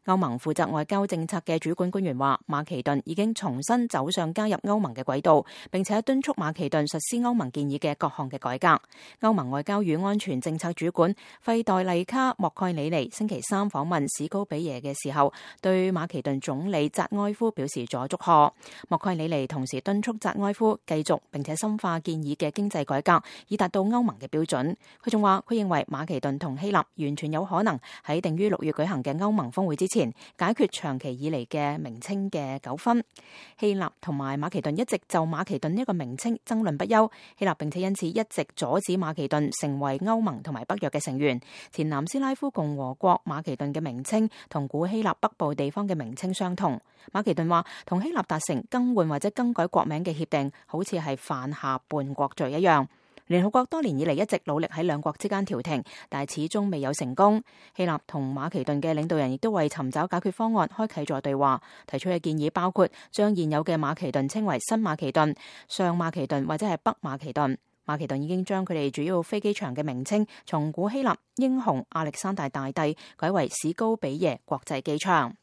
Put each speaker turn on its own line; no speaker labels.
歐盟負責外交政策嘅主管官員話，馬其頓已經重新走上加入歐盟嘅軌道，並且敦促馬其頓實施歐盟建議嘅各項嘅改革。歐盟外交與安全政策主管費代麗卡莫蓋里尼星期三訪問史高比耶嘅時候，對馬其頓總理扎埃夫表示咗祝賀。莫蓋里尼同時敦促扎埃夫繼續並且深化建議嘅經濟改革，以達到歐盟嘅標準。佢仲話，佢認為馬其頓同希臘完全有可能喺定於6月舉行嘅歐盟峰會之前解決長期以嚟嘅名稱嘅糾紛。希臘同埋馬其頓一直就馬其頓呢個名稱爭論不休，希臘並且因此一直阻止馬其頓成為歐盟同埋北約嘅成員。前南斯拉夫共和國馬其頓嘅名稱同古希臘北部地方嘅名稱相同。馬其頓話，同希臘達成更換或者更改國名嘅協定，好似係犯下叛國罪一樣。聯合國多年以嚟一直努力喺兩國之間調停，但係始終未有成功。希臘同馬其頓嘅領導人亦都為尋找解決方案開啟咗對話，提出嘅建議包括將現有嘅馬其頓稱為新馬其頓、上馬其頓或者係北馬其頓。馬其頓已經將佢哋主要飛機場嘅名稱從古希臘英雄亞歷山大大帝改為史高比耶國際機場。